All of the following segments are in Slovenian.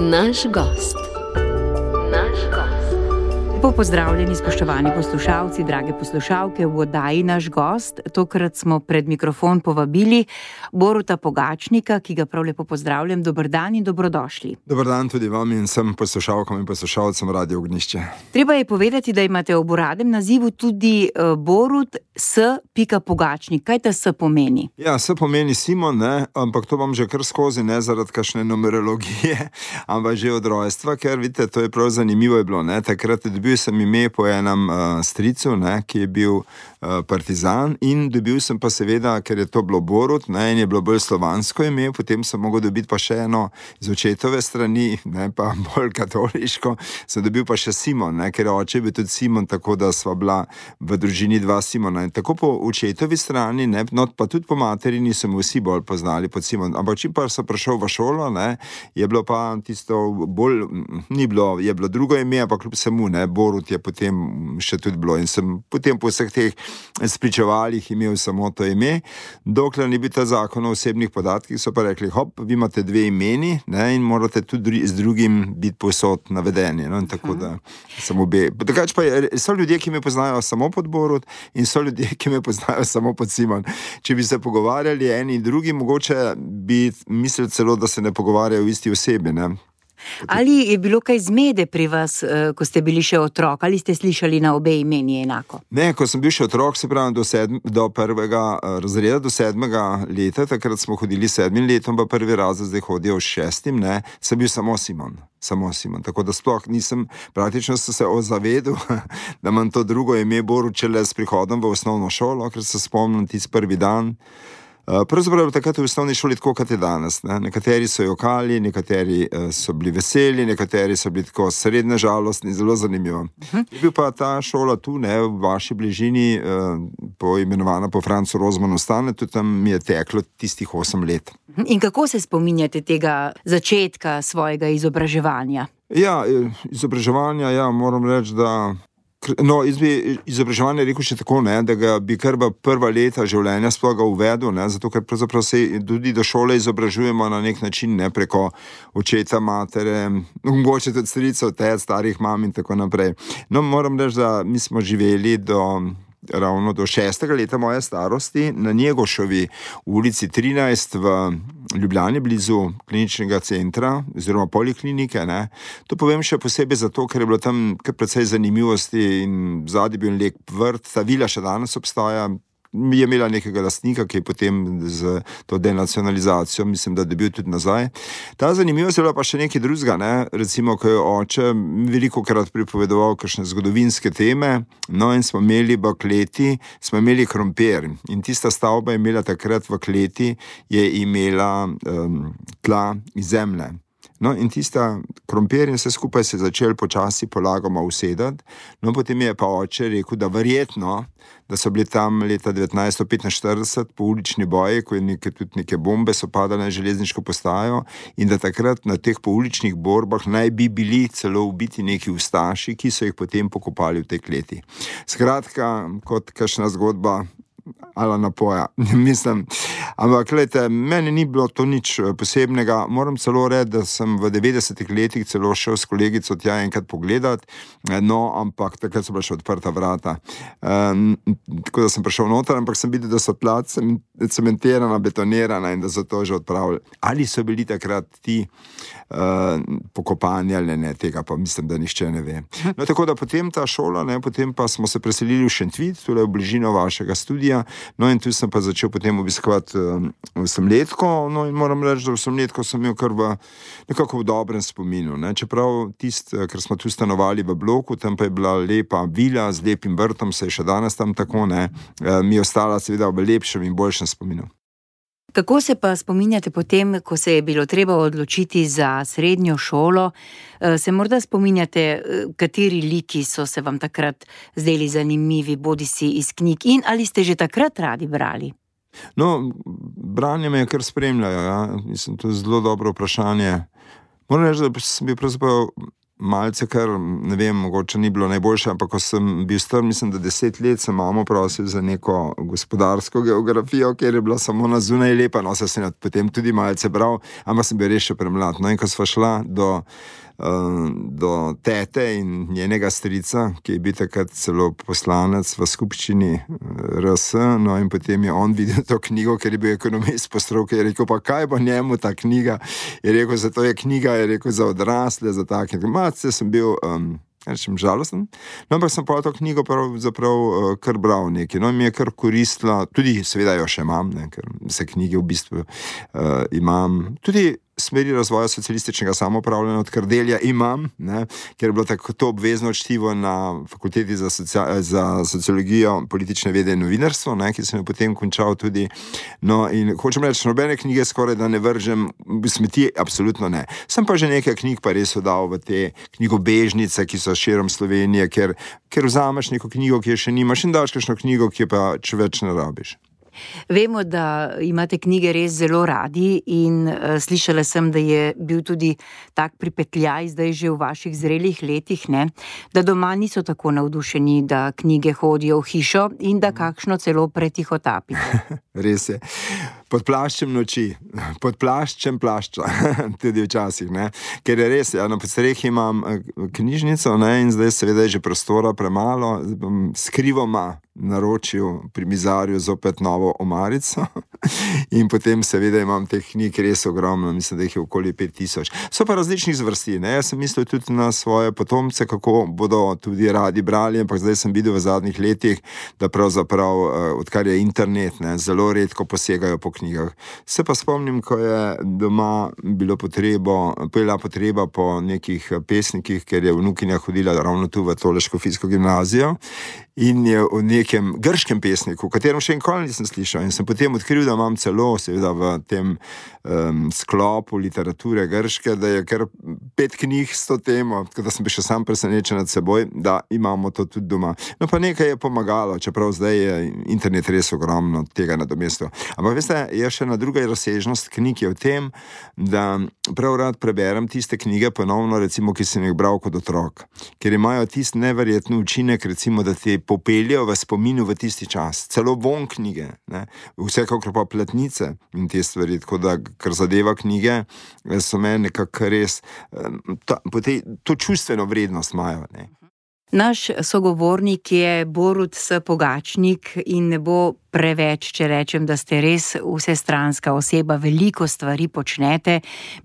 Naš gost. Lepo pozdravljeni, spoštovani poslušalci, drage poslušalke, v oddaji Naš gost. Tokrat smo pred mikrofon povabili Boruta Pogačnika, ki ga prav lepo pozdravljam. Dober dan in dobrodošli. Dober dan tudi vam in vsem poslušalkam in poslušalcem Radio Ognjišče. Treba je povedati, da imate ob uradnem nazivu tudi Borut S. Pogačnik. Kaj ta S pomeni? Ja, S pomeni Simon, ne, ampak to vam že kar skozi, ne zaradi kakšne numerologije, ampak že od rojstva, ker vidite, to je prav zanimivo je bilo, ne, takrat dobil sem ime po enem stricu, ne, ki je bil partizan, in dobil sem pa seveda, ker je to bilo Borut, ne, in je bilo bolj slovansko ime, potem sem mogel dobiti pa še eno z očetove strani, ne, pa bolj katoliško, sem dobil pa še Simon, ne, ker oče je bil tudi Simon, tako da sva bila v družini dva Simona. In tako po očetovi strani, ne, no, pa tudi po materini so me vsi bolj poznali pod Simon. Ampak čim pa sem prišel v šolo, ne, je bilo pa tisto bolj, ni bilo, je bilo drugo ime, ampak kljub vsemu, ne, Borut je potem še tudi bilo in sem potem po vseh teh spričevalih imel samo to ime, dokler ni bil ta zakon o osebnih podatkih, so pa rekli, hop, vi imate dve imeni, ne, in morate tudi z drugim biti povsod navedeni, no, in tako da sem obe. Drugače pa so ljudje, ki me poznajo samo pod Borut in so ljudje, ki me poznajo samo pod Simon. Če bi se pogovarjali eni in drugi, mogoče bi mislili celo, da se ne pogovarjajo v isti osebi, ne. Ali je bilo kaj zmede pri vas, ko ste bili še otrok? Ali ste slišali na obe imeni enako? Ne, ko sem bil še otrok, se pravi do prvega razreda, do 7. leta, takrat smo hodili 7. letom, pa prvi razred zdaj hodijo v 6. ne, sem bil samo Simon. Tako da sploh nisem, praktično sem se zavedel, da imam to drugo ime Borut šele s prihodom v osnovno šolo, ker se spomnim tisti prvi dan. Pravzaprav takrat v osnovni šoli tako, kot je danes, ne. Nekateri so jokali, nekateri so bili veseli, nekateri so bili tako srednje žalostni, zelo zanimivo. Je bil pa ta šola tu, ne, v vaši bližini, poimenovana po Francu Rozmanu Stane, tudi tam mi je teklo tistih 8 let. In kako se spominjate tega začetka svojega izobraževanja? Ja, izobraževanja, ja, moram reči, da no, izobraževanje rekel še tako, ne, da ga bi kar v prva leta življenja sploh ga uvedel, ne, zato ker pravzaprav se tudi do šole izobražujemo na nek način, ne, preko očeta, matere, mogoče tudi stricev, starih mam in tako naprej. No, moram reči, da mi smo živeli ravno do 6. leta moje starosti na Njegoševi ulici 13 v Ljubljani, blizu kliničnega centra oziroma poliklinike, ne. To povem še posebej zato, ker je bilo tam kar precej zanimivosti in zadnji bil lep vrt, ta vila še danes obstaja, je imela nekega lastnika, ki je potem z to denacionalizacijo, mislim, da dobil tudi nazaj. Ta zanimivost je bila pa še nekaj drugega, ne, recimo, ko je oče veliko krat pripovedoval kakšne zgodovinske teme, no, in smo imeli v kleti, smo imeli krompir in tista stavba je imela takrat v kleti, je imela tla iz zemlje. No, in tista krompir in vse skupaj se je začel počasi polagoma usedati, no, potem je pa oče rekel, da verjetno, da so bili tam leta 1945 poulični boji, ko je tudi neke bombe so padale na železniško postajo in da takrat na teh pouličnih borbah naj bi bili celo ubiti neki ustaši, ki so jih potem pokopali v tej kleti. Skratka, kot kakšna zgodba ala napoja, mislim. Ampak, glejte, meni ni bilo to nič posebnega. Moram celo reči, da sem v 90. letih celo šel s kolegico tja enkrat pogledat, no, ampak takrat so bila še odprta vrata. Tako da sem prišel noter, ampak sem videl, da so tla cementirana, betonirana in da so to že odpravili. Ali so bili takrat ti pokopani ali ne, tega pa mislim, da nihče ne ve. No, tako da potem ta šola, ne, potem pa smo se preselili v Šentvid, tule v bližino vašega studija, no, in tu sem pa začel potem obiskovati osemletko, no, in moram reči, da osemletko sem imel kar nekako v dobrem spominu, ne, čeprav ker smo tu stanovali v bloku, tam pa je bila lepa vila z lepim vrtom, se je še danes tam tako, ne, mi je ostala seveda v lepšem in boljšem spominu. Kako se pa spominjate potem, ko se je bilo treba odločiti za srednjo šolo? Se morda spominjate, kateri liki so se vam takrat zdeli zanimivi, bodisi iz knjig, in ali ste že takrat radi brali? No, branje me je kar spremljajo, ja. Mislim, to je zelo dobro vprašanje. Moram reči, da sem bil pravzaprav malce, kar ne vem, mogoče ni bilo najboljše, ampak ko sem bil star, mislim, da 10 let sem mamo prosil za neko gospodarsko geografijo, kjer je bila samo na zunaj lepa, no, se sem potem tudi malce bral, ampak sem bil res še premlad. No, in ko sva šla do tete in njenega strica, ki je bil takrat celo poslanec v skupščini RS, no in potem je on videl to knjigo, ker je bil ekonomist po stroki, je rekel, pa kaj bo njemu ta knjiga, je rekel, zato je knjiga, je rekel, za odrasle, za take. Malce sem bil rečem žalosten, no, ampak sem pa to knjigo pravzaprav kar bral nekaj, no, in mi je kar koristila, tudi seveda jo še imam, ne, ker vse knjige v bistvu imam, tudi smeri razvoja socialističnega samoupravljanja od Kardelja imam, ne, ker je bilo tako to obvezno čtivo na fakulteti za sociologijo, politične vede in novinarstvo, ne, ki sem jo potem končal tudi. No, in hočem reči, nobene knjige skoraj da ne vržem v smeti, absolutno ne. Sem pa že nekaj knjig pa res oddal v te knjigobežnice, ki so širom Slovenije, ker vzameš neko knjigo, ki je še nimaš, in daš kakšno knjigo, ki je pa če več ne rabiš. Vemo, da imate knjige res zelo radi in slišala sem, da je bil tudi tak pripetljaj zdaj že v vaših zrelih letih, ne? Da doma niso tako navdušeni, da knjige hodijo v hišo in da kakšno celo pretihotapite. Res je. Pod plaščem noči, pod plaščem plašča, tudi včasih, ne. Ker je res, ja, na podstrehi imam knjižnico, ne, in zdaj seveda je že prostora premalo, bom skrivoma naročil pri mizarju zopet novo omarico in potem seveda imam teh knjig res ogromno, mislim, da jih je okoli 5000. So pa različnih zvrsti, ne, jaz sem mislil tudi na svoje potomce, kako bodo tudi radi brali, ampak zdaj sem videl v zadnjih letih, da pravzaprav, odkar je internet, ne, zelo redko posegajo po knjigah. Se pa spomnim, ko je doma bila potreba po nekih pesnikih, ker je vnukinja hodila ravno tu v tole škofijsko gimnazijo in je o nekem grškem pesniku, o katerem še nikoli nisem slišal, in sem potem odkril, da imam celo seveda v tem sklopu literature grške, da je kar 5 knjig s to temo, tako da sem bil še sam presenečen nad seboj, da imamo to tudi doma. No, pa nekaj je pomagalo, čeprav zdaj je internet res ogromno tega nadomestil. Ampak veste, je še ena druga razsežnost knjig je v tem, da prav rad preberem tiste knjige ponovno, recimo, ki sem jih bral kot otrok, ker imajo tisti neverjetni učinek, recimo, da ti popeljejo v spominu v tisti čas. Celo von knjige, ne, vsekakor pa platnice in te stvari, tako da, kar zadeva knjige, so meni nekako res, to čustveno vrednost imajo, ne. Naš sogovornik je Borut S. Pogačnik in ne bo preveč, če rečem, da ste res vsestranska oseba, veliko stvari počnete.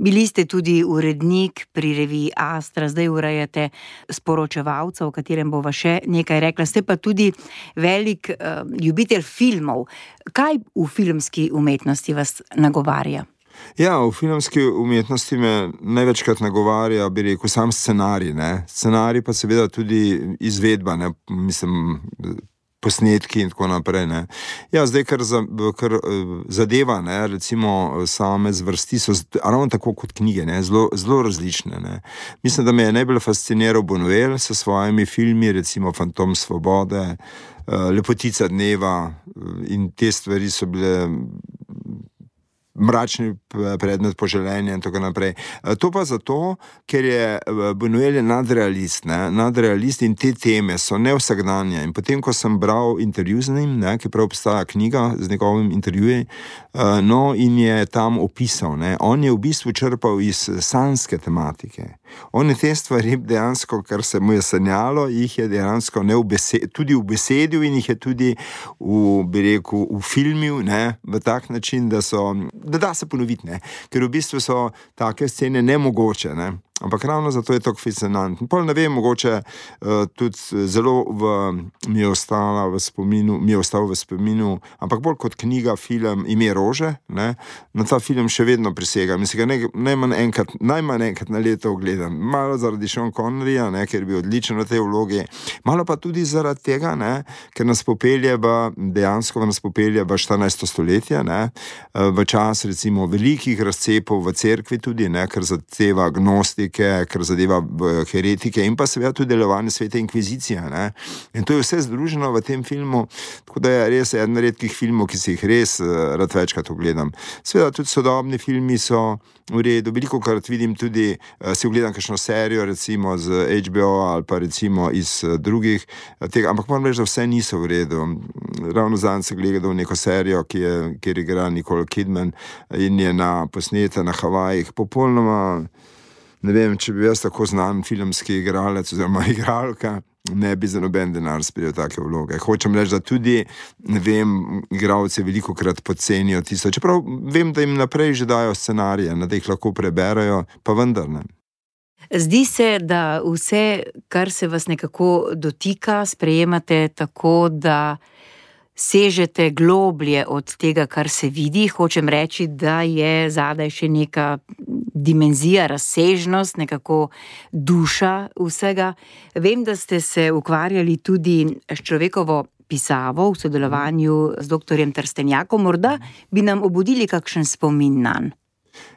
Bili ste tudi urednik pri reviji Astra, zdaj urejate Sporočevalca, o katerem bova še nekaj rekla. Ste pa tudi velik ljubitelj filmov. Kaj v filmski umetnosti vas nagovarja? Ja, v filmski umetnosti me največkrat nagovarja, bi rekel, sam scenarij, ne. Scenarij pa seveda tudi izvedba, ne, mislim, posnetki in tako naprej, ne. Ja, zdaj, kar zadeva, ne, recimo same zvrsti so ravno tako kot knjige, ne, zelo različne, ne. Mislim, da me je najbolj fasciniral Buñuel s svojimi filmi, recimo Fantom svobode, Lepotica dneva, in te stvari so bile mračni predmet poželenja in tako naprej. To pa zato, ker je Buñuel nadrealist, ne, nadrealist in te teme so nevsakdanje. In potem, ko sem bral intervju z njim, ne, ki prav obstaja knjiga z njegovim intervjujem, no, in je tam opisal, ne, on je v bistvu črpal iz sanske tematike. On je te stvari dejansko, kar se mu je sanjalo, jih je dejansko tudi ubesedil in jih je tudi v filmil, ne, v tak način, da da se ponoviti, ne, ker v bistvu so take scene nemogoče, ne. Ampak ravno zato je to fascinantno. Pol ne vem, mogoče tudi zelo mi je ostal v spominu, ampak bolj kot knjiga, film Ime rože, ne, na ta film še vedno prisegam. Mislim, ga najmanj enkrat na leto ogledam. Malo zaradi Sean Conneryja, ne, ker je bil odličen v tej vlogi, malo pa tudi zaradi tega, ne, ker nas popelje dejansko v 14. stoletje, ne, v čas recimo velikih razcepov v cerkvi tudi, ne, ker zadeva gnostik, katolike, kar zadeva heretike in pa seveda tudi delovanje Svete inkvizicije. Ne? In to je vse združeno v tem filmu, tako da je res eden redkih filmov, ki si jih res rad večkrat ogledam. Seveda tudi sodobni filmi so v redu, veliko krat vidim tudi, si ogledam kakšno serijo, recimo z HBO ali pa recimo iz drugih tega, ampak moram reči, da vse niso v redu. Ravno zadnjič sem gledal neko serijo, kjer igra Nicole Kidman in je posneta na Havajih, popolnoma, ne vem, če bi jaz tako znan filmski igralec oziroma igralka, ne bi za noben denar sprejel take vloge. Hočem reči, da tudi, ne vem, igralci veliko krat podcenijo tisto, čeprav vem, da jim naprej že dajo scenarije, da jih lahko preberajo, pa vendar ne. Zdi se, da vse, kar se vas nekako dotika, sprejemate tako, da sežete globlje od tega, kar se vidi. Hočem reči, da je zadaj še neka dimenzija, razsežnost, nekako duša vsega. Vem, da ste se ukvarjali tudi s človekovo pisavo v sodelovanju z doktorjem Trstenjakom. Morda bi nam obudili kakšen spomin nanj.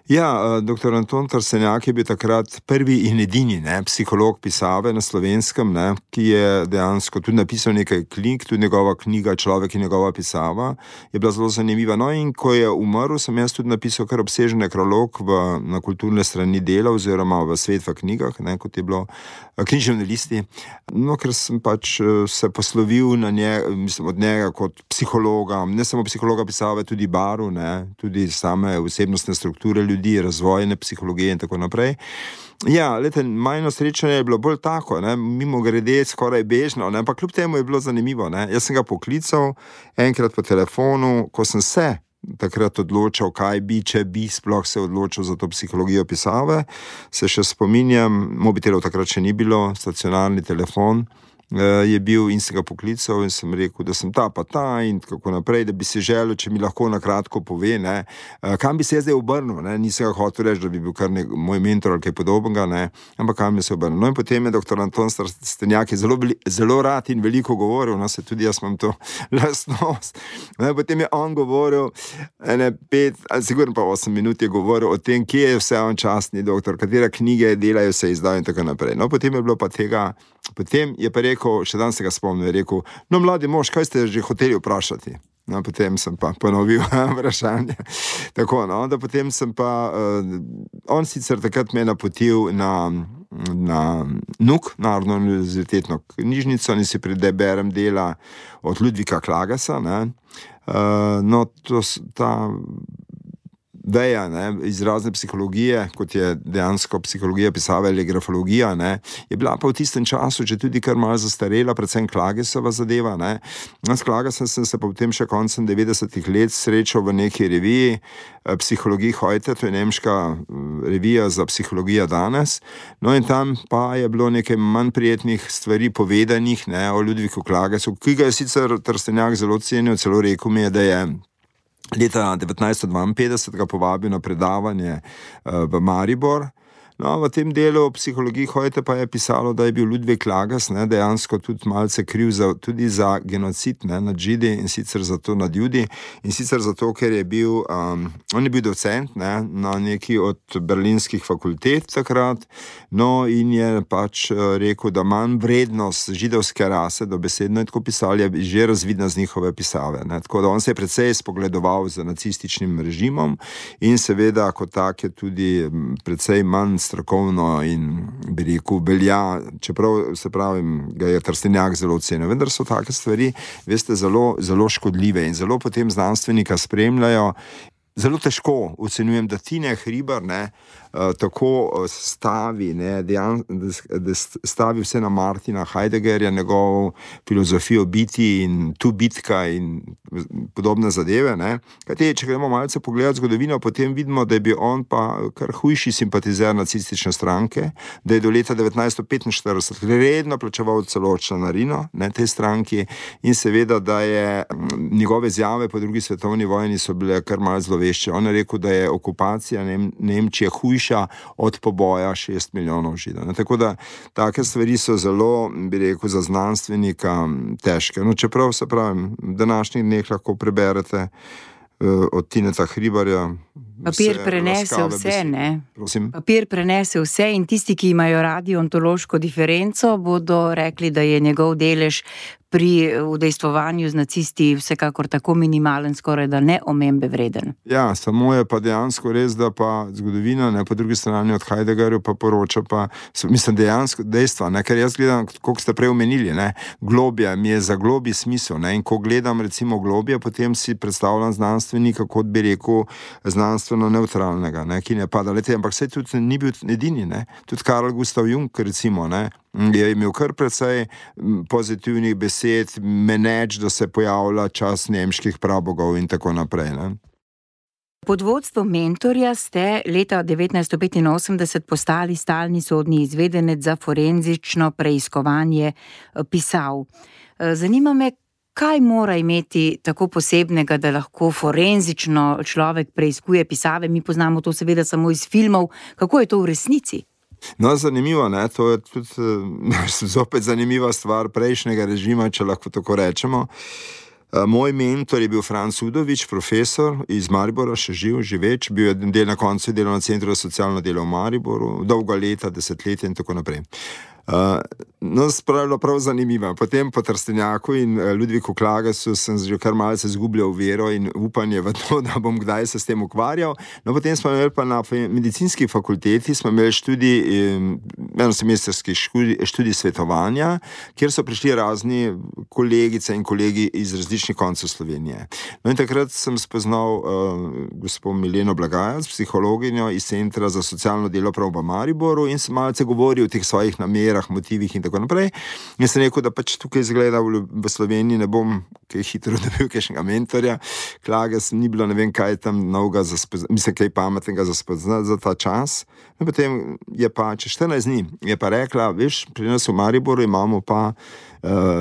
Ja, dr. Anton Trstenjak je bil takrat prvi in edini psiholog pisave na Slovenskem, ki je dejansko tudi napisal nekaj knjig, tudi njegova knjiga Človek in njegova pisava je bila zelo zanimiva. No, in ko je umrl, sem jaz tudi napisal kar obsežen nekrolog na kulturne strani Dela oziroma v Svet v knjigah, kot je bilo književne listi. No, ker sem pač se poslovil od njega kot psihologa, ne samo psihologa pisave, tudi baru, tudi same osebnostne strukture ljudi, razvojne psihologije in tako naprej. Ja, majno srečanje je bilo bolj tako, mimo grede skoraj bežno, ampak kljub temu je bilo zanimivo. Jaz sem ga poklical enkrat po telefonu, ko sem se takrat odločal, kaj bi, če bi sploh se odločil za to psihologijo pisave. Se še spominjam, mobitelov takrat še ni bilo, stacionarni telefon je bil in sem ga poklical in sem rekel, da sem ta pa ta in kako naprej, da bi se želel, če mi lahko nakratko pove, kam bi se zdaj obrnil, nisem ga hotel reči, da bi bil kar moj mentor ali kaj podobnega, ampak kam bi se obrnil. No in potem je dr. Anton Trstenjak zelo rad in veliko govoril, se tudi jaz imam to lastnost. Potem je on govoril 5 ali sigurno pa 8 minut je govoril o tem, kje je vse on častni doktor, katere knjige delajo se izdal in tako naprej. No, potem je bilo pa tega, potem je pa rekel, še dan se ga spomnil, je rekel, no, mladi mož, kaj ste že hoteli vprašati? No, potem sem pa ponovil vprašanje. Tako, no, da potem sem pa, on sicer takrat me napotil na NUK, Narodno univerzitetno knjižnico, in si preberem dela od Ludvika Klagasa, no, ta veja izrazne psihologije, kot je dejansko psihologija pisave ali grafologija, je bila pa v tistem času že tudi kar malo zastarela, predvsem Klagesova zadeva. S Klagesem sem se potem še koncem 90-ih let srečal v neki reviji Psihologija heute, to je nemška revija za psihologijo danes. No in tam pa je bilo nekaj manj prijetnih stvari povedanih o Ludviku Klagesu, ki ga je sicer Trstenjak zelo cenil, celo rekel mi je, da je leta 1952 ga povabil na predavanje v Maribor. No, v tem delu Psihologiji heute pa je pisalo, da je bil Ludvik Klages dejansko tudi malce kriv tudi za genocid nad Židi in sicer zato nad Judi in sicer zato, ker je bil, on je bil docent na neki od berlinskih fakultet takrat, no in je pač rekel, da manj vrednost židovske rase, dobesedno je tako pisali, je že razvidna z njihove pisave. Tako da on se je precej spogledoval z nacističnim režimom in seveda kot tak je tudi precej manj strokovno in bi rekel velja, čeprav se pravim, ga je Trstenjak zelo ocenil. Vendar so take stvari, veste, zelo, zelo škodljive in zelo potem znanstvenika spremljajo. Zelo težko ocenjujem, da Tine Hribar tako stavi, da stavi vse na Martina Heideggerja, njegovo filozofijo biti in tu bitka in podobne zadeve. Kajti, če gremo malce pogledati zgodovino, potem vidimo, da je bil on pa kar hujši simpatizer nacistične stranke, da je do leta 1945 redno plačeval celo članarino tej stranki in seveda, da je njegove izjave po drugi svetovni vojni so bile kar malo zlovešče. On je rekel, da je okupacija Nemčije hujša od poboja 6 milijonov Židov. Tako da take stvari so zelo, bi rekel, za znanstvenika težke. No, čeprav se pravim, v današnjih dneh lahko preberete od Tineta Hribarja. Papir prenese vse, ne? Prosim? Papir prenese vse in tisti, ki imajo radi ontološko diferenco, bodo rekli, da je njegov delež pri udejstvovanju z nacisti vsekakor tako minimalen, skoraj da neomembe vreden. Ja, samo je pa dejansko res, da pa zgodovina, ne, po drugi strani od Heideggerja pa poroča pa, mislim, dejansko dejstva, ne, ker jaz gledam, koliko ste prej omenili, ne, globja, mi je za globi smisel, ne, in ko gledam recimo globje, potem si predstavljam znanstvenika, kot bi rekel, znanstveno neutralnega, ne, ki ne pada, lete, ampak saj tudi ni bil edini, ne, tudi Carl Gustav Jung, recimo, ne, je imel kar precej pozitivnih besed, meneč, da se pojavlja čas nemških prabogov in tako naprej, ne. Pod vodstvom mentorja ste leta 1985 postali stalni sodni izvedenec za forenzično preiskovanje pisav. Zanima me, kaj mora imeti tako posebnega, da lahko forenzično človek preiskuje pisave? Mi poznamo to seveda samo iz filmov. Kako je to v resnici? No, zanimivo, ne, to je tudi zopet zanimiva stvar prejšnjega režima, če lahko tako rečemo. Moj mentor je bil Franc Udovič, profesor iz Maribora, še živeč, bil je na koncu delal na Centru za socialno delo v Mariboru, dolga leta, desetletja in tako naprej. No, spravilo prav zanimivo. Potem po Trstenjaku in Ludviku Klagesu sem že kar malce izgubljal vero in upanje v to, da bom kdaj se s tem ukvarjal. No, potem smo imeli pa na medicinski fakulteti, smo imeli enosemestrski študij svetovanja, kjer so prišli razni kolegice in kolegi iz različnih koncev Slovenije. No, in takrat sem spoznal gospod Mileno Blagajac, psihologinjo iz Centra za socialno delo prav v Mariboru in sem malce govoril o teh svojih namerah, motivih in tako naprej. In sem rekel, da pač tukaj izgleda v Sloveniji ne bom kaj hitro dobil kakšnega mentorja. Klages ni bilo, ne vem kaj tam novega, mislim, kaj pametnega za spoznati za ta čas. In potem je pa čez 14 dni je pa rekla, veš, pri nas v Mariboru imamo pa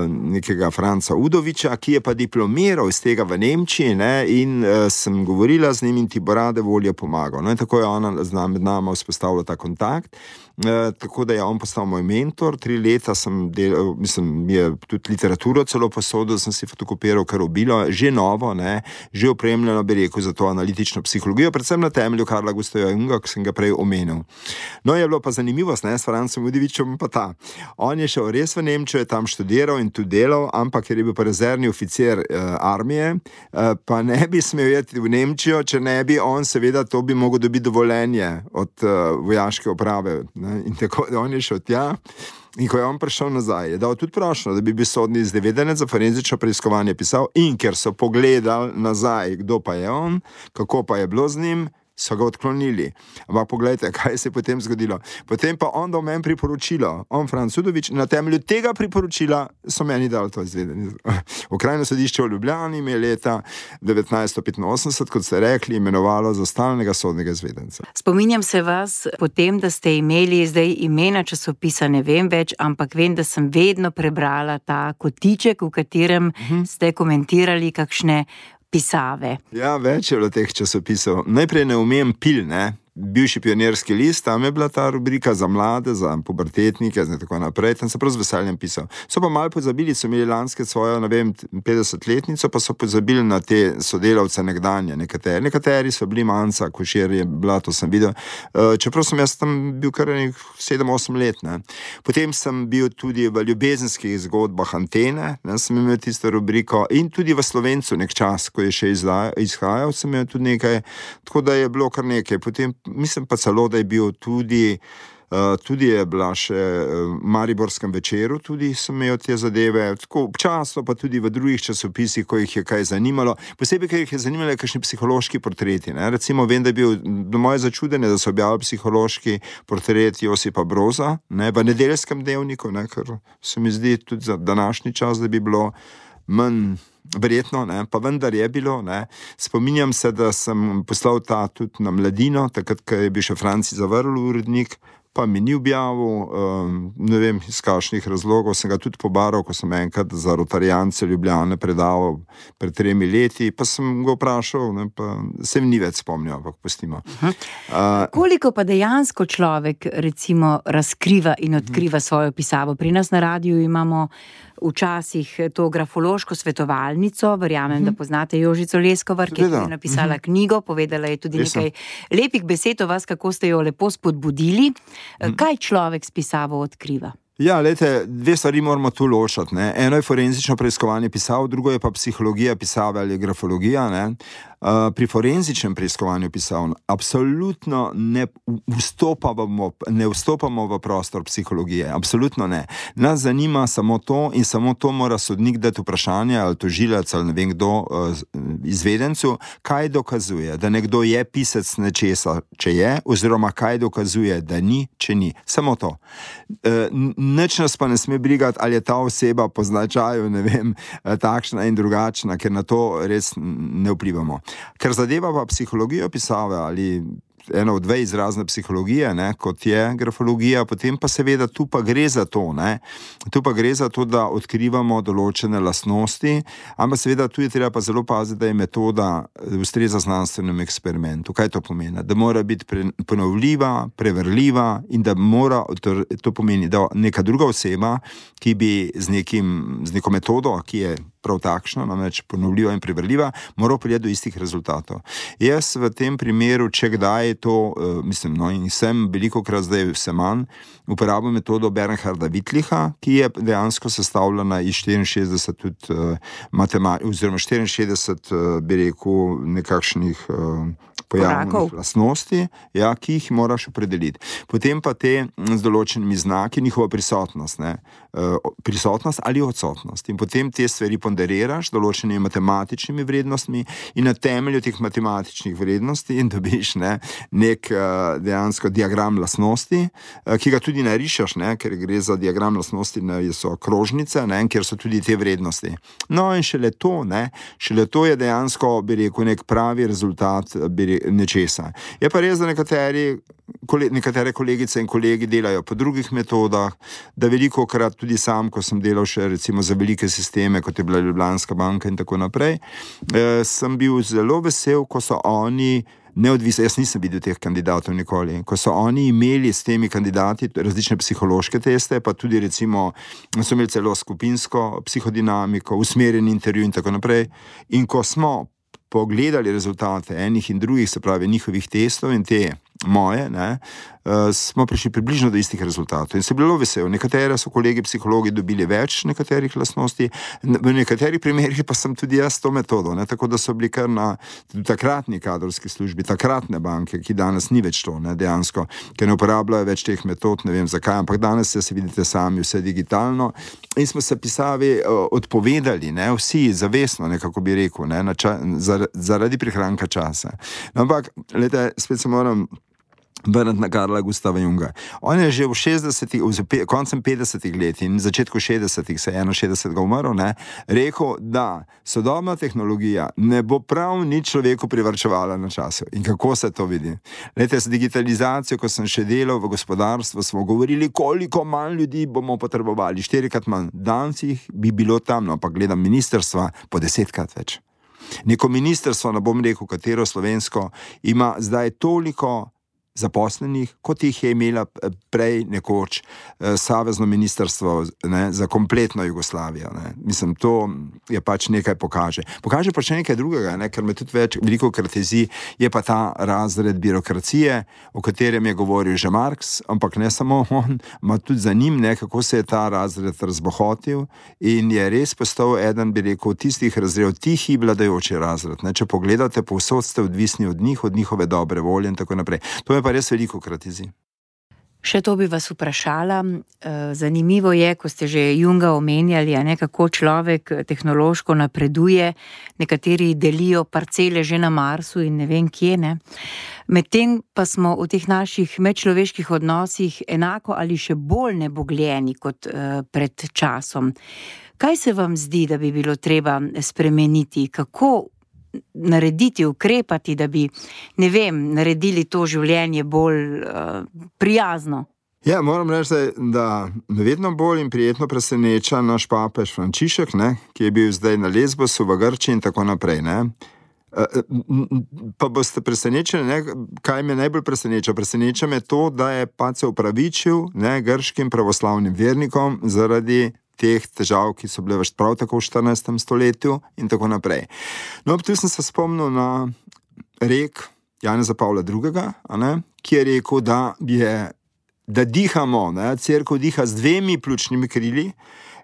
nekega Franca Udoviča, ki je pa diplomiral iz tega v Nemčiji, ne, in sem govorila z njim in ti bo rade volje pomagal. No, in tako je ona med nama vzpostavila ta kontakt, tako da je on postal moj mentor. 3 leta sem delal, mislim, je tudi literaturo celo posodil, sem si fotokopiral kar obilo, že novo, ne, že opremljeno, bi rekel, za to analitično psihologijo, predvsem na temelju Carla Gustava Junga, ki sem ga prej omenil. No, je bilo pa zanimivost, ne, s Francem Udovičem pa ta. On je šel res v Nemčijo, je tam študiral in tudi delal, ampak ker je bil pa rezervni oficir armije, pa ne bi smel jeti v Nemčijo, če ne bi on, seveda, to bi mogel dobiti dovoljenje od vojaške uprave, ne, in tako, da on je šel tja. In ko je on prišel nazaj, je dal tudi prošnjo, da bi bil sodni izvedenec za forenzično preiskovanje pisal, in ker so pogledali nazaj, kdo pa je on, kako pa je bilo z njim, so ga odklonili. Ampak poglejte, kaj se je potem zgodilo. Potem pa on dal meni priporočilo, on Franc Udovič, na temelju tega priporočila so meni dali to izvedenje. Okrajno sodišče v Ljubljani me je leta 1985, kot ste rekli, imenovalo za stalnega sodnega izvedenca. Spominjam se vas potem, da ste imeli zdaj imena časopisa, ne vem več, ampak vem, da sem vedno prebrala ta kotiček, v katerem ste komentirali kakšne pisave. Ja, več je bilo teh časopisov. Najprej ne umem Pil, ne, bivši pionirski list, tam je bila ta rubrika za mlade, za pubertetnike in tako naprej, tam sem prav z veseljem pisal. So pa malo pozabili, so imeli lanske svojo, ne vem, 50-letnico, pa so pozabili na te sodelavce nekdanje, nekateri so bili Manca, Košir je bila, to sem videl, čeprav sem jaz tam bil kar 7-8 let, ne. Potem sem bil tudi v ljubezenskih zgodbah Antene, ne, sem imel tisto rubriko, in tudi v Slovencu nek čas, ko je še izhajal, sem imel tudi nekaj, tako da je bilo kar nekaj. Potem mislim pa celo, da je bil tudi je bila še v Mariborskem večeru, tudi sem imel te zadeve, tako občasno pa tudi v drugih časopisih, ko jih je kaj zanimalo, posebej, ker jih je zanimalo kakšni psihološki portreti, ne. Recimo, vem, da je bil do moje začudenje, da so objavili psihološki portret Josipa Broza, ne, v Nedeljskem dnevniku, ne, ker se mi zdi tudi za današnji čas, da bi bilo manj verjetno, ne, pa vendar je bilo, ne. Spominjam se, da sem poslal ta tudi na Mladino, takrat, ko je bil še Franci Zavrl urednik, pa mi ni objavil, ne vem, iz kakšnih razlogov, sem ga tudi pobaral, ko sem enkrat za Rotarijance Ljubljane predaval pred 3 leti, pa sem ga vprašal, ne, pa se mi ni več spomnil, ampak pustimo. Koliko pa dejansko človek, recimo, razkriva in odkriva svojo pisavo? Pri nas na radiju imamo včasih to grafološko svetovalnico, verjamem, da poznate Jožico Leskovar, ki je napisala knjigo, povedala je tudi nekaj lepih besed o vas, kako ste jo lepo spodbudili. Kaj človek s pisavo odkriva? Ja, lejte, dve stvari moramo tu ločati, ne. Eno je forenzično preiskovanje pisav, drugo je pa psihologija pisave ali grafologija, ne. Pri forenzičnem preiskovanju pisav absolutno ne vstopamo v prostor psihologije, absolutno ne. Nas zanima samo to in samo to mora sodnik dati vprašanje ali tožilec ali ne vem kdo izvedencu, kaj dokazuje, da nekdo je pisec nečesa, če je, oziroma kaj dokazuje, da ni, če ni. Samo to. Nič nas pa ne sme brigati, ali je ta oseba po značaju, ne vem, takšna in drugačna, ker na to res ne vplivamo. Ker zadeva pa psihologijo pisave ali eno od dve izrazne psihologije, ne, kot je grafologija, potem pa seveda tu pa gre za to, ne. Tu pa gre za to, da odkrivamo določene lastnosti, ampak seveda tu je treba pa zelo paziti, da je metoda ustreza znanstvenemu eksperimentu. Kaj to pomeni? Da mora biti ponovljiva, preverljiva in da mora, to pomeni, da neka druga oseba, ki bi z neko metodo, ki je prav takšno, namreč ponovljiva in preverljiva, mora priti do istih rezultatov. Jaz v tem primeru, če kdaj to, in sem velikokrat zdaj vse manj, uporabljam metodo Bernharda Wittlicha, ki je dejansko sestavljena iz 64 tudi oziroma 64, bi rekel, nekakšnih pojavnih lastnosti, ja, ki jih moraš opredeliti. Potem pa te z določenimi znaki, njihova prisotnost, ne, prisotnost ali odsotnost. In potem te stvari ponderiraš določenimi matematičnimi vrednostmi in na temelju teh matematičnih vrednosti in dobiš nek dejansko diagram lastnosti, ki ga tudi narišeš, ne, ker gre za diagram lastnosti, so krožnice, ne, kjer so tudi te vrednosti. No in šele to je dejansko, bi rekel, nek pravi rezultat nečesa. Je pa res, da nekatere kolegice in kolegi delajo po drugih metodah, da velikokrat tudi sam, ko sem delal še recimo za velike sisteme, kot je bila Ljubljanska banka in tako naprej, sem bil zelo vesel, ko so oni neodvisni, jaz nisem videl teh kandidatov nikoli, ko so oni imeli s temi kandidati različne psihološke teste, pa tudi recimo so imeli celo skupinsko psihodinamiko, usmerjen intervju in tako naprej. In ko smo pogledali rezultate enih in drugih, se pravi njihovih testov in te moje, smo prišli približno do istih rezultatov in se bilo vesel. Nekatere so kolegi psihologi dobili več nekaterih lastnosti, v nekaterih primerih pa sem tudi jaz to metodo, tako da so bili kar na takratni kadrovski službi, takratne banke, ki danes ni več to, dejansko, ker ne uporabljajo več teh metod, ne vem zakaj, ampak danes se vidite sami vse digitalno in smo se pisavi odpovedali, vsi zavestno, nekako bi rekel, zaradi prihranka časa. Ampak, glejte, spet se moram vrniti na Karla Gustava Junga. On je že v koncem 50 let in začetku 60, se je 61 umrl, rekel, da sodobna tehnologija ne bo prav nič človeku privarčevala na času. In kako se to vidi? Lejte, z digitalizacijo, ko sem še delal v gospodarstvu, smo govorili, koliko manj ljudi bomo potrebovali, 4-krat manj. Danes jih bi bilo tam, ampak gledam ministrstva po 10-krat več. Neko ministrstvo, ne bom rekel katero slovensko, ima zdaj toliko zaposlenih, kot jih je imela prej nekoč savezno ministrstvo za kompletno Jugoslavijo. Mislim, to je pač nekaj pokaže. Pokaže pa še nekaj drugega, ker me tudi veliko kratezi, je pa ta razred birokracije, o katerem je govoril že Marx, ampak ne samo on, ima tudi za njim, kako se je ta razred razbohotil in je res postal eden, bi rekel, tistih razredov, tihi vladajoči razred. Če pogledate, povsod ste odvisni od njih, od njihove dobre volje in tako naprej. To je pa res veliko kratizi. Še to bi vas vprašala. Zanimivo je, ko ste že Junga omenjali, kako človek tehnološko napreduje, nekateri delijo parcele že na Marsu in ne vem kje, Medtem pa smo v teh naših medčloveških odnosih enako ali še bolj nebogljeni kot pred časom. Kaj se vam zdi, da bi bilo treba spremeniti? Kako narediti, ukrepati, da bi, naredili to življenje bolj prijazno? Ja, moram reči, da me vedno bolj in prijetno preseneča naš papež Frančišek, ki je bil zdaj na Lesbosu v Grčiji in tako naprej, Pa boste presenečeni, kaj me najbolj preseneča? Preseneča me to, da je pač se opravičil grškim pravoslavnim vernikom zaradi teh težav, ki so bile prav tako v 14. stoletju in tako naprej. No, tu sem se spomnil na rek Janeza Pavla II., ki je rekel, da dihamo, cerkev diha z 2 pljučnimi krili,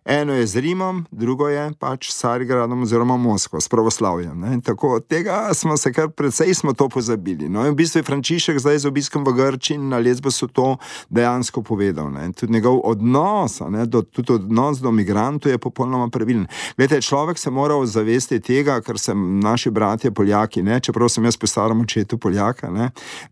eno je z Rimom, drugo je pač s Carigradom oziroma Moskvo, s pravoslavjem. In tako od tega smo se precej to pozabili. No, in v bistvu je Frančišek zdaj z obiskom v Grčiji na Lesbosu to dejansko povedal. Tudi njegov odnos, tudi odnos do migrantov je popolnoma pravilen. Glede, človek se mora zavesti tega, kar se naši bratje Poljaki, čeprav sem jaz po starem očetu Poljaka,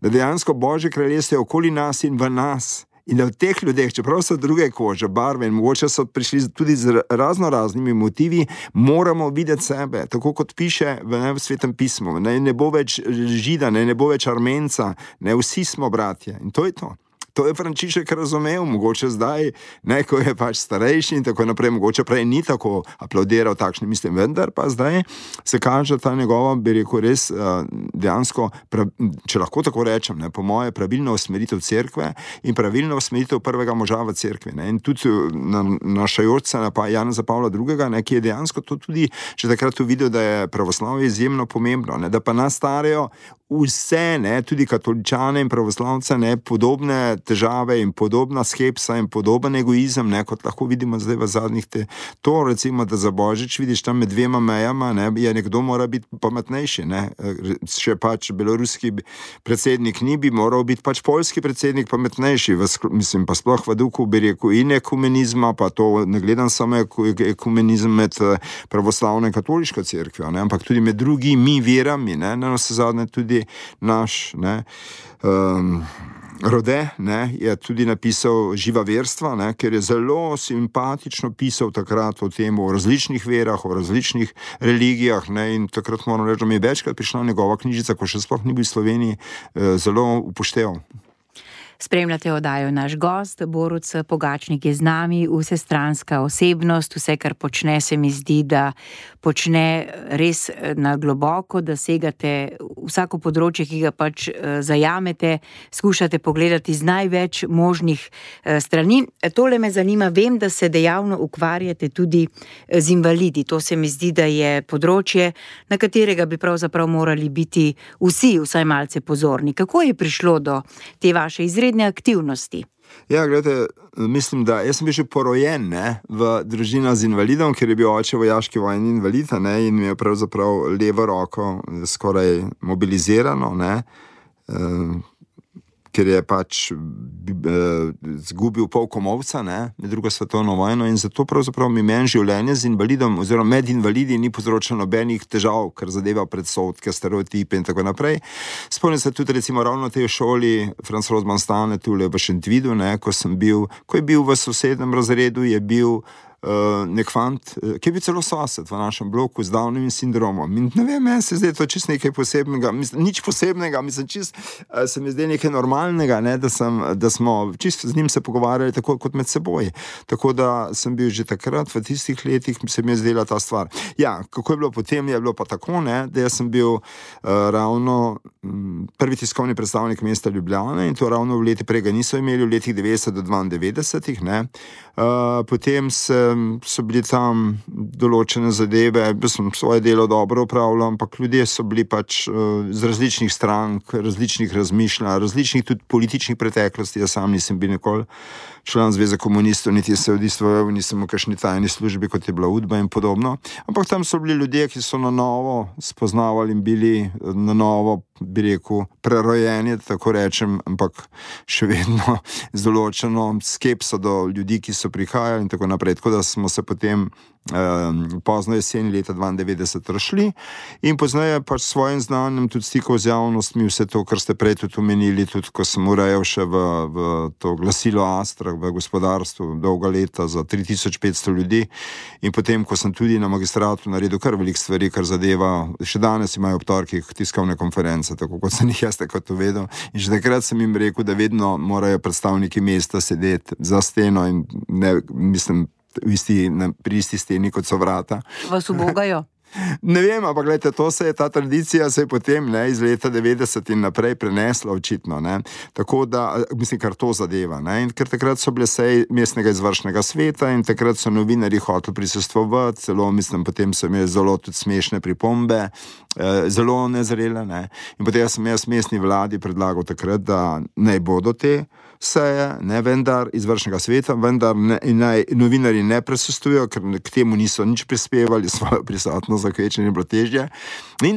da dejansko Božje kraljestvo je okoli nas in v nas. In da v teh ljudeh, čeprav so druge kože, barve in mogoče so prišli tudi z raznimi motivi, moramo videti sebe, tako kot piše v Svetem pismu. Ne bo več Žida, ne bo več Armenca, vsi smo bratje. In to je to. To je Frančišek razumel, mogoče zdaj, ko je pač starejši in tako naprej, mogoče prej ni tako aplaudiral takšne misli, vendar pa zdaj se kaže ta njegova, bi rekel, res dejansko, če lahko tako rečem, po moje pravilno usmeritev cerkve in pravilno usmeritev prvega moža v cerkvi. In tudi našajoč se pa Janeza Pavla II., ki je dejansko to tudi že takrat videl, da je pravoslavje izjemno pomembno, da pa nas starejo vse, tudi katoličane in pravoslavce, podobne težave in podobna skepsa in podoben egoizem, kot lahko vidimo zdaj v zadnjih to recimo, da za Božič vidiš tam med 2 mejama, je nekdo mora biti pametnejši, Še pač beloruski predsednik ni, bi moral biti pač poljski predsednik pametnejši, mislim pa sploh v duhu, bi rekel, in ekumenizma, pa to ne gledam samo ekumenizem med pravoslavno in katoliško cerkvijo, ampak tudi med drugimi verami, na vsezadnje tudi naš, Rode, je tudi napisal Živa verstva, ker je zelo simpatično pisal takrat o tem, o različnih verah, o različnih religijah, in takrat moram reči, da mi je večkrat prišla njegova knjižica, ko še sploh ni bil v Sloveniji, zelo upošteval. Spremljate oddajo Naš gost, Borut Pogačnik je z nami, vsestranska osebnost, vse, kar počne, se mi zdi, da počne res na globoko, da segate vsako področje, ki ga pač zajamete, skušate pogledati z največ možnih strani. Tole me zanima, vem, da se dejavno ukvarjate tudi z invalidi. To se mi zdi, da je področje, na katerega bi pravzaprav morali biti vsi vsaj malce pozorni. Kako je prišlo do te vaše izredne aktivnosti? Ja, gledajte, mislim, da jaz sem bil že porojen v družino z invalidom, ker je bil oče vojaški vojni invalid in mi je pravzaprav levo roko skoraj mobilizirano, ker je pač zgubil pol komovca med drugo svetovno vojno in zato pravzaprav meni življenje z invalidom oziroma med invalidi ni povzročilo nobenih težav, kar zadeva predsodke, stereotipe in tako naprej. Spomnim se tudi recimo ravno v tej šoli Franz Rosman stane tule v Šentvidu, ko je bil v sosednjem razredu, je bil nek fant, ki je bil celo sosed v našem bloku z Downovim sindromom. In ne vem, meni se zdaj to čisto nekaj posebnega, nič posebnega, se mi zdaj nekaj normalnega, da smo čisto z njim se pogovarjali tako kot med seboj. Tako da sem bil že takrat, v tistih letih se mi je zdela ta stvar. Ja, kako je bilo potem, je bilo pa tako, da jaz sem bil ravno prvi tiskovni predstavnik mesta Ljubljane in to ravno v leti prej ga niso imeli, v letih 90 do 92, potem so bili tam določene zadeve, sem svoje delo dobro upravljal, ampak ljudje so bili pač z različnih strank, različnih razmišljanj, različnih tudi političnih preteklosti. Jaz sam nisem bil nikoli član Zveze komunistov, niti se udejstvoval, nisem v kakšni tajni službi, kot je bila UDBA in podobno. Ampak tam so bili ljudje, ki so na novo spoznavali in bili na novo, bi rekel, prerojeni, tako rečem, ampak še vedno z določeno skepso do ljudi, ki so prihajali in tako naprej. Tako da smo se potem pozno jeseni leta 92 rašli in pozneje pač s svojim znanjem tudi stikov z javnostmi, vse to, kar ste prej tudi omenili, tudi ko sem urejal še v to glasilo Astra v gospodarstvu dolga leta za 3500 ljudi in potem, ko sem tudi na magistratu naredil kar veliko stvari, kar zadeva, še danes imajo ob torkih tiskovne konference, tako kot sem jih jaz takrat uvedel in že takrat sem jim rekel, da vedno morajo predstavniki mesta sedeti za steno in ne, mislim, pri isti steni, kot so vrata. Vas ubogajo? Ne vem, ampak gledajte, ta tradicija se je potem iz leta 90 in naprej prenesla očitno. Ne. Tako da, mislim, kar to zadeva. Ne. In ker takrat so bile seje mestnega izvršnega sveta in takrat so novinarji hoteli prisostvovati, celo mislim, potem so imeli zelo tudi smešne pripombe, zelo nezrele. Ne. In potem sem jaz mestni vladi predlagal takrat, da naj bodo te seje, ne vendar izvršnega sveta, vendar naj novinarji ne prisostvujejo, ker k temu niso nič prispevali, svojo prisotnost za kvečenje bilo težje.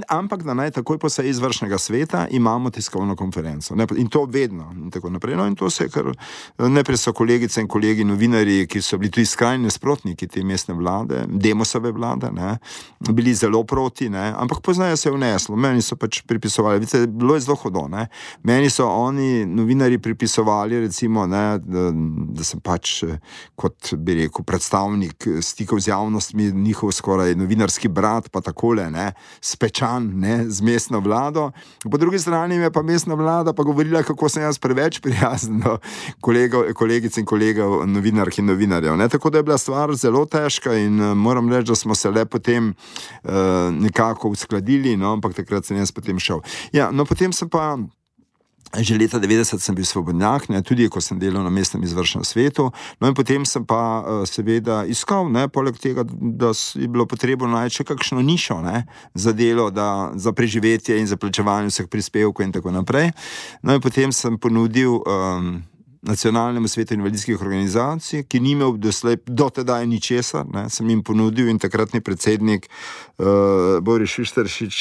Ampak da naj takoj po seji izvršnega sveta imamo tiskovno konferenco. Ne, in to vedno in tako naprej. No, in to se je kar najprej so kolegice in kolegi novinarji, ki so bili tudi skrajni nasprotniki te mestne vlade, Demosove vlade, ne, bili zelo proti, ne, ampak poznaje se je vneslo. Meni so pač pripisovali, vidite, bilo je zelo hudo, ne. Meni so oni novinarji pripisovali recimo, ne, da sem pač kot bi rekel predstavnik stikov z javnostmi, njihov skoraj novinarski brat, pa takole, ne, spečan, ne, z mestno vlado. Po drugi strani je pa mestna vlada pa govorila, kako sem jaz preveč prijazen do kolegic in kolegov novinark in novinarjev, ne. Tako da je bila stvar zelo težka in moram reči, da smo se le potem nekako uskladili, no, ampak takrat sem jaz potem šel. Ja, no, potem sem pa že leta 90 sem bil svobodnjak, ne, tudi ko sem delal na mestnem izvršnem svetu, no in potem sem pa seveda iskal, ne, poleg tega, da je bilo potrebno najti še kakšno nišo, ne, za delo, za preživetje in za plačevanje vseh prispevkov in tako naprej. No in potem sem ponudil Nacionalnemu svetu invalidskih organizacij, ki ni imel do tedaj ničesar, ne, sem jim ponudil in takratni predsednik Boris Šušteršič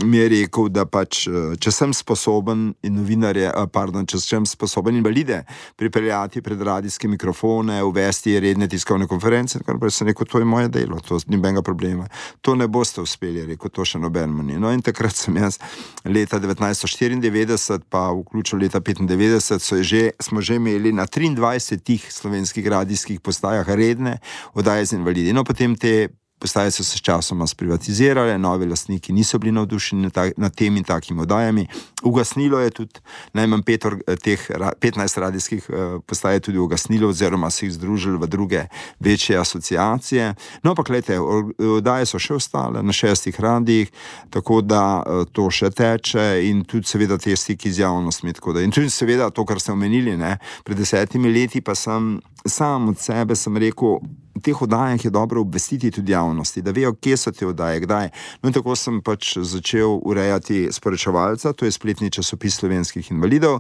mi je rekel, da pač, če sem sposoben če sem sposoben invalide pripeljati pred radijske mikrofone, uvesti redne tiskovne konference, kar pa sem rekel, to je moje delo, to ni nobenega problema. To ne boste uspeli, rekel, to še nobenemu ni. No in takrat sem jaz leta 1994 pa vključil leta 1995 smo že imeli na 23 slovenskih radijskih postajah redne oddaje z invalidi. No, potem te postaje so se časoma sprivatizirale, novi lastniki niso bili navdušeni nad temi takimi oddajami. Ugasnilo je tudi, najmanj 15 radijskih postaj je tudi ugasnilo, oziroma se jih združili v druge večje asociacije. No, pa gledajte, oddaje so še ostale na 6 radijih, tako da to še teče in tudi seveda te stiki z javnostmi. In tudi seveda to, kar ste omenili, ne, pred 10 leti pa sem sam od sebe sem rekel, v teh oddajah je dobro obvestiti tudi javnosti, da vejo, kje so te oddaje, kdaj. No in tako sem pač začel urejati Sporočevalca, to je spletni časopis slovenskih invalidov,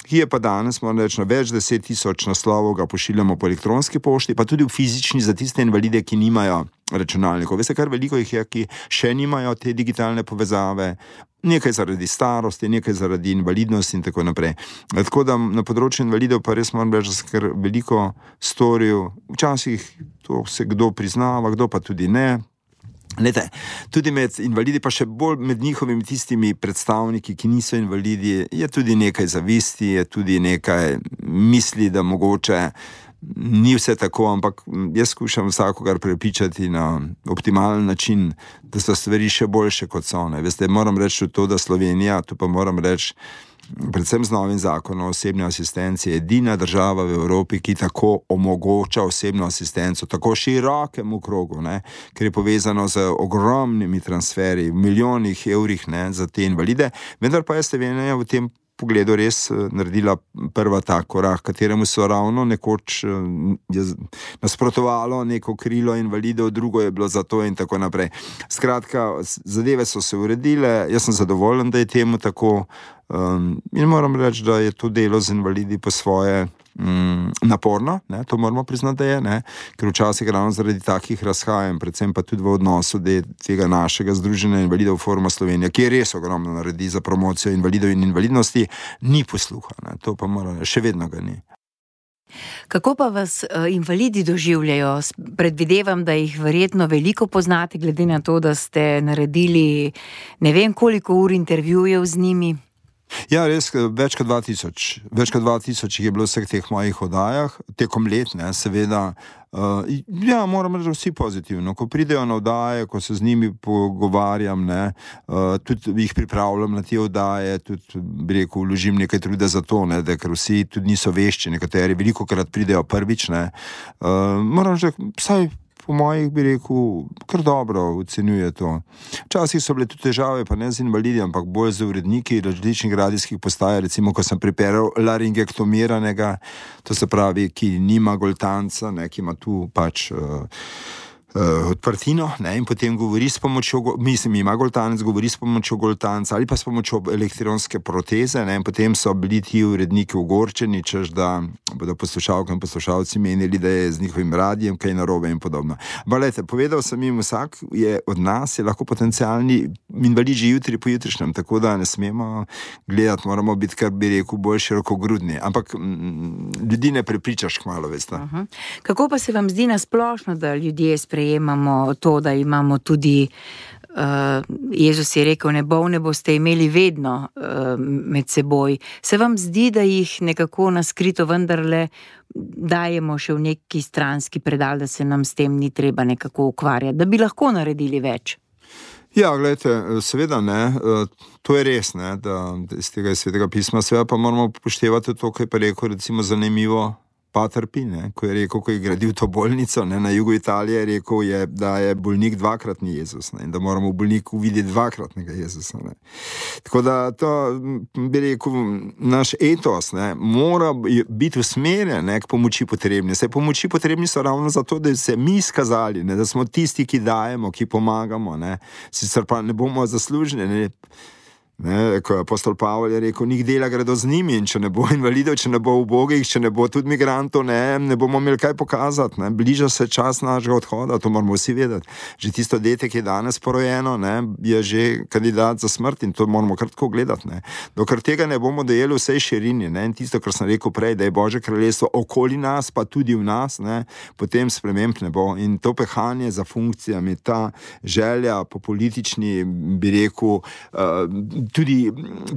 ki je pa danes, moram reči, na več 10.000 naslovov ga pošiljamo po elektronski pošti, pa tudi v fizični za tiste invalide, ki nimajo računalnikov. Veste, kar veliko jih je, ki še nimajo te digitalne povezave, nekaj zaradi starosti, nekaj zaradi invalidnosti in tako naprej. Tako da na področju invalidov pa res moram reči, da sem kar veliko storil. Včasih to se kdo priznava, kdo pa tudi ne. Lete, tudi med invalidi, pa še bolj med njihovimi tistimi predstavniki, ki niso invalidi, je tudi nekaj zavisti, je tudi nekaj misli, da mogoče ni vse tako, ampak jaz skušam vsakogar prepričati na optimalen način, da so stvari še boljše kot so. Ne. Veste, moram reči to, da Slovenija, to pa moram reči, predvsem z novim zakonom o osebni asistenci, je edina država v Evropi, ki tako omogoča osebno asistenco, tako širokemu krogu, ne, ker je povezano z ogromnimi transferji, milijonih evrih, ne, za te invalide, vendar pa je Slovenija v tem pogledu res naredila prva ta korak, kateremu so ravno nekoč nasprotovalo neko krilo invalidov, drugo je bilo za to in tako naprej. Skratka, zadeve so se uredile, jaz sem zadovoljen, da je temu tako in moram reči, da je to delo z invalidi po svoje naporno, ne, to moramo priznati, da je, ne, ker včasih ravno zaradi takih razhajanj, predvsem pa tudi v odnosu tega našega Združenja invalidov Foruma Slovenija, ki je res ogromno naredi za promocijo invalidov in invalidnosti, ni posluha, ne, to pa mora, še vedno ga ni. Kako pa vas invalidi doživljajo? Predvidevam, da jih verjetno veliko poznate, glede na to, da ste naredili ne vem koliko ur intervjujev z njimi. Ja, res, več kot 2000 je bilo vseh teh mojih oddajah, tekom let, ne, seveda. Ja, moram reči, vsi pozitivno. Ko pridejo na oddaje, ko se z njimi pogovarjam, ne, tudi jih pripravljam na te oddaje, tudi, bi rekel, vložim nekaj truda za to, ne, da ker vsi tudi niso vešči, nekateri velikokrat pridejo prvič, ne. Moram reči, vsaj po mojih bi rekel, kar dobro ocenjuje to. Včasih so bile tudi težave, pa ne z invalidi, ampak bolj z uredniki različnih radijskih postaj, recimo, ko sem pripeljal laringektomiranega, to se pravi, ki nima goltanca, ne, ki ima tu pač odprtino, ne, in potem govori s pomočjo, ima goltanec, govori s pomočjo goltanca ali pa s pomočjo elektronske proteze, ne, in potem so bili ti uredniki ogorčeni, češ da bodo poslušalke in poslušalci menili, da je z njihovim radijem kaj narobe in podobno. Balete, povedal sem jim, vsak je od nas je lahko potencialni invalid že jutri po jutrišnjem, tako da ne smemo gledati, moramo biti, kar bi rekel, bolj širokogrudni, ampak ljudi ne prepričaš kmalu, veste. Kako pa se vam zdi nasplošno, da ljudje sprejemamo to, da imamo tudi, Jezus je rekel, ne boste imeli vedno med seboj. Se vam zdi, da jih nekako naskrito vendarle dajemo še v neki stranski predal, da se nam s tem ni treba nekako ukvarjati, da bi lahko naredili več? Ja, gledajte, seveda ne, to je res, ne, da iz tega svetega pisma, seveda pa moramo upoštevati to, kaj pa rekel, recimo zanimivo, Pater Pij, ne, ko je rekel, ko je gradil to bolnico, ne, na jugu Italije, rekel je, da je bolnik dvakratni Jezus, ne, in da moramo v bolniku videti dvakratnega Jezusa. Ne. Tako da to, bi rekel, naš etos, ne, mora biti usmerjen, ne, k pomoči potrebni. Se pomoči potrebni so ravno zato, da se mi izkazali, ne, da smo tisti, ki dajemo, ki pomagamo, ne, sicer pa ne bomo zaslužni, ne. Ne, ko je apostol Pavel je rekel, njih dela gredo z njimi, in če ne bo invalidov, če ne bo ubogih, če ne bo tudi migrantov, ne bomo imeli kaj pokazati, ne. Bliža se čas našega odhoda, to moramo vsi vedeti. Že tisto dete, ki je danes porojeno, ne, je že kandidat za smrt in to moramo kar tako gledati, ne. Dokler tega ne bomo dojeli v vsej širini, ne, in tisto, kar sem rekel prej, da je Božje kraljestvo okoli nas, pa tudi v nas, ne, potem sprememb ne bo. In to pehanje za funkcijami, ta želja po politični, bi rekel, tudi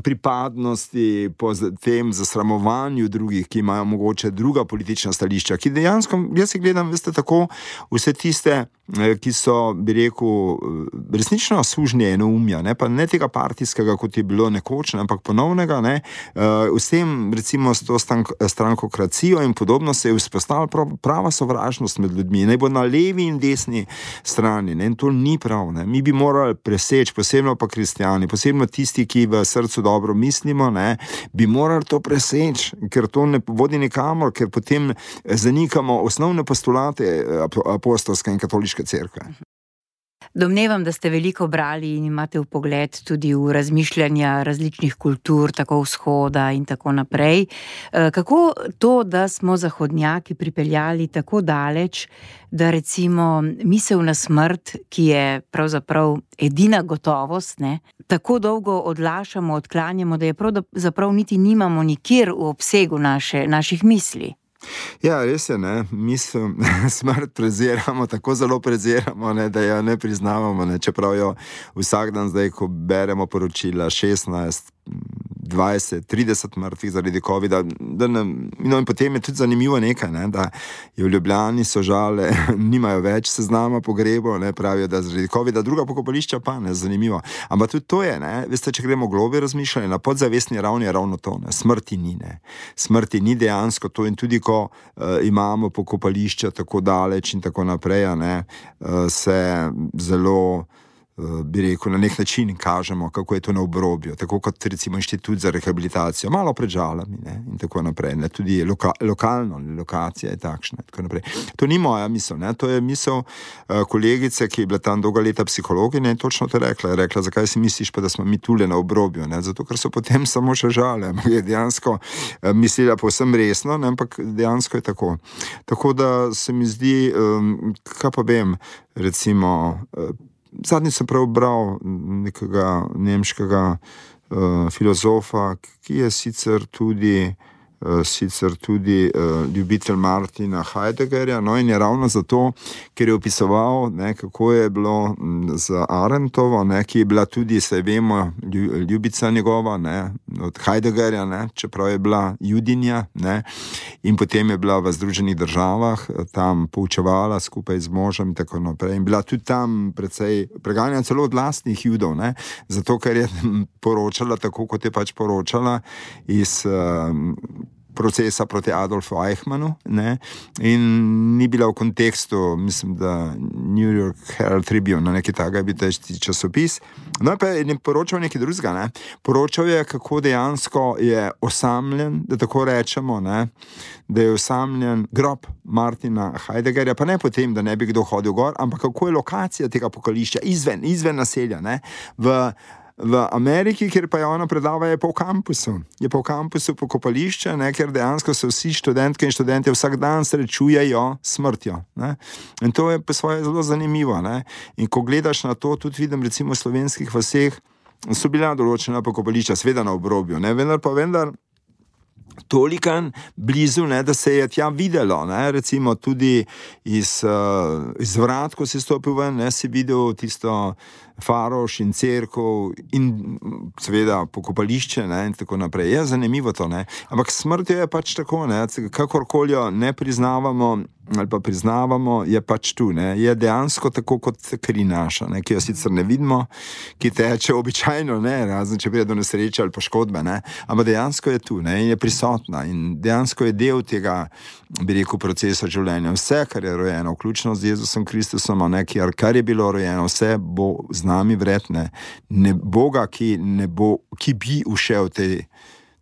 pripadnosti, po tem zasramovanju drugih, ki imajo mogoče druga politična stališča, ki dejansko, jaz si gledam, veste, tako vse tiste, ki so, bi rekel, resnično sužnje enoumja, ne, pa ne tega partijskega, kot je bilo nekoč, ne, ampak ponovnega, ne, vsem, recimo, s to strankokracijo in podobno se je vzpostavila prava sovražnost med ljudmi, naj bo na levi in desni strani, ne, in to ni prav, ne. Mi bi morali preseči, posebno pa kristjani, posebno tisti, ki v srcu dobro mislimo, ne, bi morali to preseči, ker to ne vodi nikamor, ker potem zanikamo osnovne postulate apostolske in katoliške cerkve. Domnevam, da ste veliko brali in imate vpogled tudi v razmišljanja različnih kultur, tako vzhoda in tako naprej. Kako to, da smo zahodnjaki pripeljali tako daleč, da recimo misel na smrt, ki je pravzaprav edina gotovost, ne, tako dolgo odlašamo, odklanjamo, da je pravzaprav niti nimamo nikjer v obsegu naših misli? Ja, res je, ne, misel, smrt preziramo, tako zelo preziramo, ne, da jo ne priznavamo, ne, čeprav jo vsak dan zdaj, ko beremo poročila 16, 20, 30 mrtvih zaradi covida, no in potem je tudi zanimivo nekaj, ne, da je v Ljubljani sožale, nimajo več seznama pogrebov, ne, pravijo, da zaradi covida, druga pokopališča pa, ne, zanimivo. Ampak tudi to je, ne, veste, če gremo globje razmišljanje, na podzavestni ravni je ravno to, ne, smrti ni, ne. Smrti ni dejansko to in tudi ko imamo pokopališča tako daleč in tako naprej, ne, se zelo, bi rekel, na nek način kažemo, kako je to na obrobju, tako kot recimo inštitut za rehabilitacijo, malo pred Žalami, ne, in tako naprej, ne, tudi lokalno, lokacija je takšna, tako naprej. To ni moja misel, ne, to je misel kolegice, ki je bila tam dolga leta psihologinja in točno to je rekla, zakaj si misliš pa, da smo mi tule na obrobju, ne, zato, ker so potem samo še Žale, je dejansko mislila povsem resno, ne, ampak dejansko je tako. Tako da se mi zdi, kaj pa vem, recimo, zadnjič sem prebral nekega nemškega filozofa, ki je sicer tudi ljubitelj Martina Heideggerja, no, in je ravno zato, ker je opisoval, ne, kako je bilo z Arendtovo, ne, ki je bila tudi, se vemo, ljubica njegova, ne, od Heideggerja, ne, čeprav je bila judinja, ne, in potem je bila v Združenih državah, tam poučevala skupaj z možem in tako naprej, in bila tudi tam precej preganjena celo od lastnih judov, ne, zato, ker je poročala tako, kot je pač poročala iz procesa proti Adolfu Eichmannu, ne, in ni bila v kontekstu, mislim, da New York Herald Tribune, na neki takega je bil težki časopis. No, pa je poročal nekaj drugega, ne. Poročal je, kako dejansko je osamljen, da tako rečemo, ne, da je osamljen grob Martina Heideggerja, pa ne potem, da ne bi kdo hodil gor, ampak kako je lokacija tega pokopališča izven naselja, ne, v Ameriki, kjer pa je ona predava, je pa v kampusu. Je pa v kampusu pokopališče, ne, ker dejansko se vsi študentke in študente vsak dan srečujejo s smrtjo. Ne. In to je po svoje zelo zanimivo. Ne. In ko gledaš na to, tudi vidim recimo v slovenskih vaseh, so bila določena pokopališča, seveda na obrobju, ne, vendar tolikan blizu, ne, da se je tja videlo, ne, recimo tudi iz vrat, ko si stopil ven, ne, si videl tisto faroš in cerkev in seveda pokopališče, ne, in tako naprej. Je zanimivo to, ne. Ampak smrt je pač tako, ne, kakorkoli jo ne priznavamo ali pa priznavamo, je pač tu, ne. Je dejansko tako kot kri naša, ne, ki jo sicer ne vidimo, ki teče običajno, ne, razen če pride do nesreče ali poškodbe, ne, ampak dejansko je tu, ne, in je prisotna in dejansko je del tega, bi rekel, procesa življenja. Vse, kar je rojeno, vključno z Jezusom Kristusom, ne, kar je bilo rojeno, vse bo z nami vredne. Ne Boga, ki bi ušel tej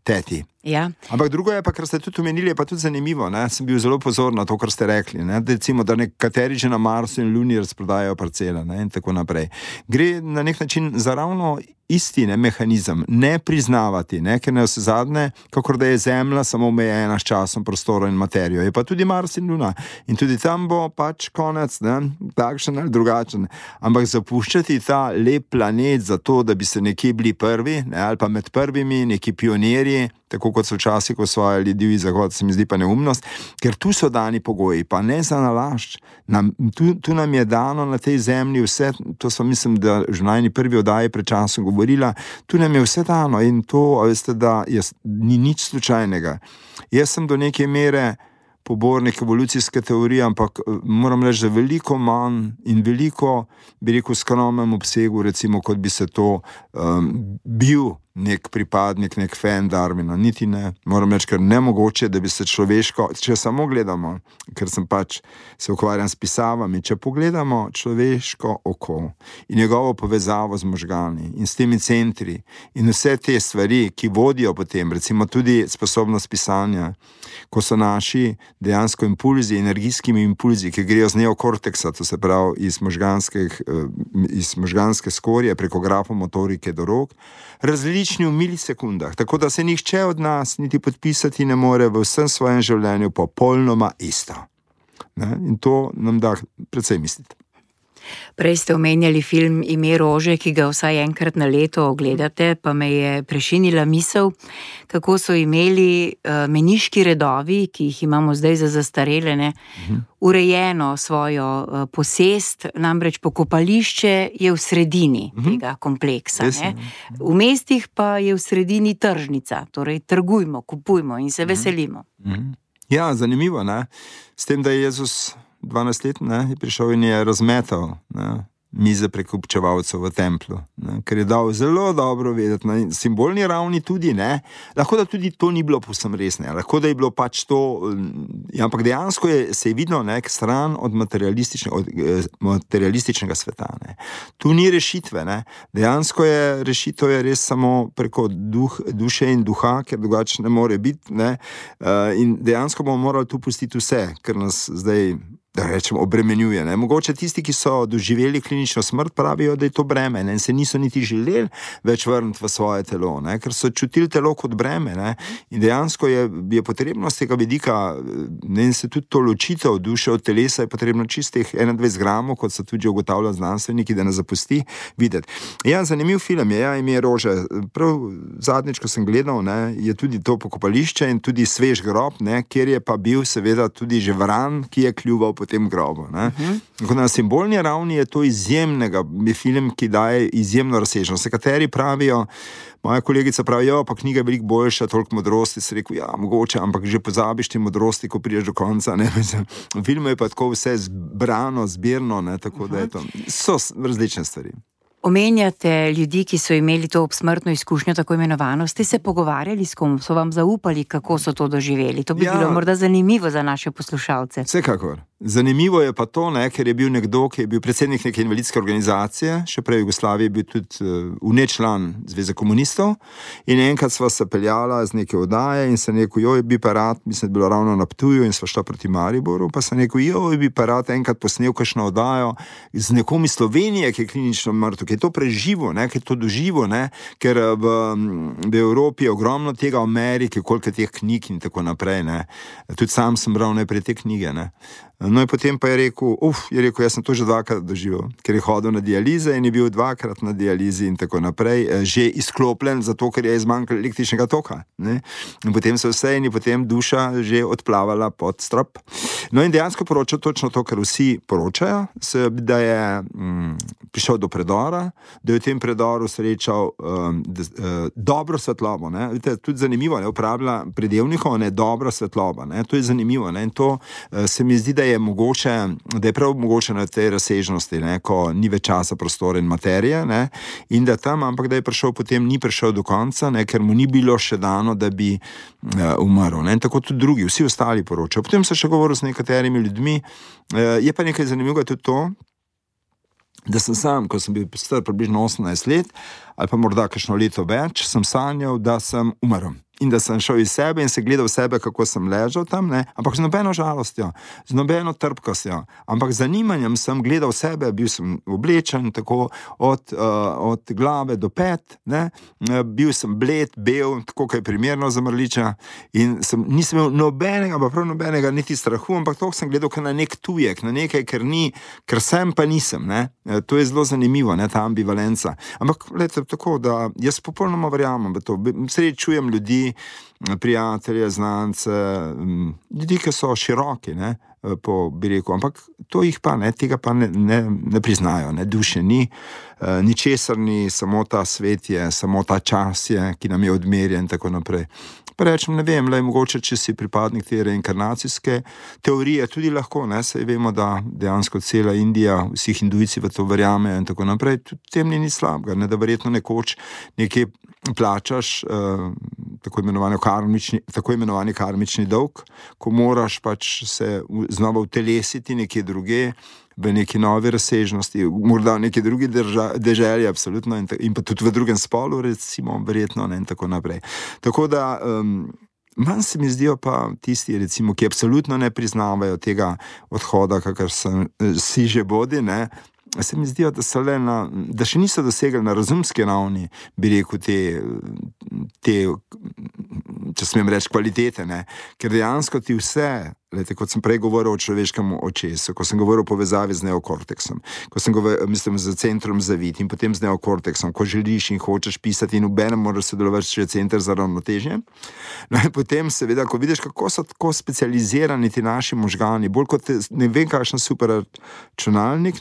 teti. Ja. Ampak drugo je pa, kar ste tudi omenili, je pa tudi zanimivo, ne? Sem bil zelo pozorn na to, kar ste rekli, ne? Recimo, da nekateri že na Marsu in Luni razprodajajo parcele, ne? In tako naprej. Gre na nek način za ravno isti, ne, mehanizem, ne priznavati, ne? Ker ne vse zadnje, kakor da je Zemlja samo omejena s časom, prostorom in materijo, je pa tudi Mars in Luna in tudi tam bo pač konec, ne? Takšen ali drugačen, ampak zapuščati ta lep planet za to, da bi se nekje bili prvi, ne? Ali pa med prvimi neki pionirji, tako kot so včasih osvajali divji zahod, se mi zdi pa neumnost, ker tu so dani pogoji, pa ne za nalašč. Tu nam je dano na tej zemlji vse, to smo, mislim, da že najni prvi oddaji pred časom govorila, tu nam je vse dano in to, veste, da ni nič slučajnega. Jaz sem do neke mere pobornik evolucijske teorije, ampak moram reči, da veliko manj in veliko, bi rekel, skromnem obsegu, recimo, kot bi se to bil nek pripadnik, nek fan Darwina, niti ne. Moram reči, ker nemogoče, da bi se človeško, če samo gledamo, ker sem pač se ukvarjam s pisavami, če pogledamo človeško oko in njegovo povezavo z možgani in s temi centri in vse te stvari, ki vodijo potem, recimo tudi sposobnost pisanja, ko so naši dejansko impulzi, energijskimi impulzi, ki grejo z neokorteksa, to se pravi iz možganske skorje preko grafomotorike do rok, različni v milisekundah, tako da se nihče od nas niti podpisati ne more v vsem svojem življenju popolnoma isto. Ne? In to nam da precej misliti. Prej ste omenjali film Ime rože, ki ga vsaj enkrat na leto ogledate, pa me je prešinila misel, kako so imeli meniški redovi, ki jih imamo zdaj za zastarele, ne, urejeno svojo posest, namreč pokopališče je v sredini tega kompleksa. Ne. V mestih pa je v sredini tržnica, torej trgujmo, kupujmo in se veselimo. Ja, zanimivo, ne? S tem, da je Jezus 12 let, ne, je prišel in je razmetal, ne, mize prekupčevalcev v templu, ne, ker je dal zelo dobro vedeti, na simbolni ravni tudi, ne, lahko da tudi to ni bilo povsem res, ne, lahko da je bilo pač to, ampak dejansko se je vidno nek stran od materialističnega sveta, ne. Tu ni rešitve, ne, dejansko je rešitev je res samo preko duše in duha, ker drugače ne more biti, ne, in dejansko bomo morali tu pustiti vse, ker nas zdaj, da rečem, obremenjuje. Ne? Mogoče tisti, ki so doživeli klinično smrt, pravijo, da je to breme, ne? In se niso niti želeli več vrniti v svoje telo, ne? Ker so čutili telo kot breme, ne? In dejansko je potrebno z tega vidika, ne, in se tudi to ločitev duše od telesa je potrebno čistih 21 gramov, kot so tudi ugotavljali znanstveniki, da ne zapusti videti. Ja, zanimiv film je, Ime rože. Prav zadnjič, ko sem gledal, ne, je tudi to pokopališče in tudi svež grob, ne, kjer je pa bil seveda tudi že vran, ki je kljuval po tem grobu. Na simbolni ravni je to izjemnega, je film, ki daje izjemno razsežnost. Nekateri pravijo, moja kolegica pravi, pa knjiga je veliko boljša, toliko modrosti, se rekel, ja, mogoče, ampak že pozabiš te modrosti, ko prideš do konca, ne, v filmu je pa tako vse zbrano, zbirno, ne, tako da je to, so različne stvari. Omenjate ljudi, ki so imeli to obsmrtno izkušnjo, tako imenovano. Ste se pogovarjali s kom? So vam zaupali, kako so to doživeli? To bi bilo morda zanimivo za naše poslušalce. Vsekakor. Zanimivo je pa to, ker je bil nekdo, ki je bil predsednik neke invalidske organizacije, še prej v Jugoslaviji je bil tudi član Zveze komunistov, in enkrat sva se peljala z neke oddaje in se rekel, bi pa rad, mislim, da je bilo ravno na Ptuju in sva šla proti Mariboru, pa se rekel, bi pa rad enkrat posnel kakšno oddajo z nekom iz Slovenije, ki je klinično mrtev, ki je to preživo, ki je to doživo, ker v Evropi je ogromno tega, v Ameriki, koliko teh knjig in tako naprej. Tudi sam sem bral najprej te knjige. No in potem pa je rekel, jaz sem to že dvakrat doživel, ker je hodil na dialize in je bil dvakrat na dializi in tako naprej, že izklopljen, zato ker je izmanjkalo električnega toka. In potem se vse in je potem duša že odplavala pod strop. No in dejansko poročal točno to, kar vsi poročajo, da je prišel do predora, da je v tem predoru srečal dobro svetlobo. Vidite, tudi zanimivo, uporablja pridevnikov, dobra svetloba. To je zanimivo. In to se mi zdi, da je prav mogoče na tej razsežnosti, ko ni več časa, prostora in materije, in da tam, ampak da je prišel potem, ni prišel do konca, ker mu ni bilo še dano, da bi umrl. In tako tudi drugi, vsi ostali poročajo. Potem se še govoril s nekaterimi ljudmi. Je pa nekaj zanimivega tudi to, da sem sam, ko sem bil star približno 18 let, ali pa morda kakšno leto več, sem sanjal, da sem umrl. In da sem šel iz sebe in se gledal sebe, kako sem ležal tam, ampak z nobeno žalostjo, z nobeno trpkostjo, ampak z zanimanjem sem gledal sebe, bil sem oblečen tako od glave do pet, bil sem bled, bel, tako kaj primerno za mrliča, in nisem imel nobenega, pa prav nobenega niti strahu, ampak to sem gledal na nek tujek, na nekaj, ker sem pa nisem. To je zelo zanimivo, ta ambivalenca. Ampak gledajte, tako da jaz popolnoma verjamem v to, srečujem ljudi, prijatelje, znance, ljudi, ki so široki, bi rekel, ampak to jih pa tega pa ne priznajo, duše ni, ničesar ni, samo ta svet je, samo ta čas je, ki nam je odmerjen in tako naprej. Pa rečem, ne vem, mogoče, če si pripadnik te reinkarnacijske teorije, tudi lahko, saj vemo, da dejansko cela Indija, vsi hindujci v to verjamejo in tako naprej, tudi tem ni slabega, da verjetno nekoč nekje plačaš tako imenovani karmični dolg, ko moraš pač se znova utelesiti nekje druge, v neki novi razsežnosti, morda v neki drugi deželi, absolutno, in pa tudi v drugem spolu, recimo, verjetno, in tako naprej. Tako da, manj se mi zdijo pa tisti, recimo, ki absolutno ne priznavajo tega odhoda, kakor si že bodi, se mi zdijo, da še niso dosegli na razumski ravni, bi rekel, te če smem reči, kvalitete, ker dejansko ti vse, kot sem prej govoril o človeškem očesu, ko sem govoril o povezavi z neokorteksom, ko sem govoril, z centrom zavit in potem z neokorteksom, ko želiš in hočeš pisati in obenem moraš sodelovati še center za ravnotežje. No in potem seveda, ko vidiš, kako so tako specializirani ti naši možgani, bolj kot ne vem kakšen super računalnik,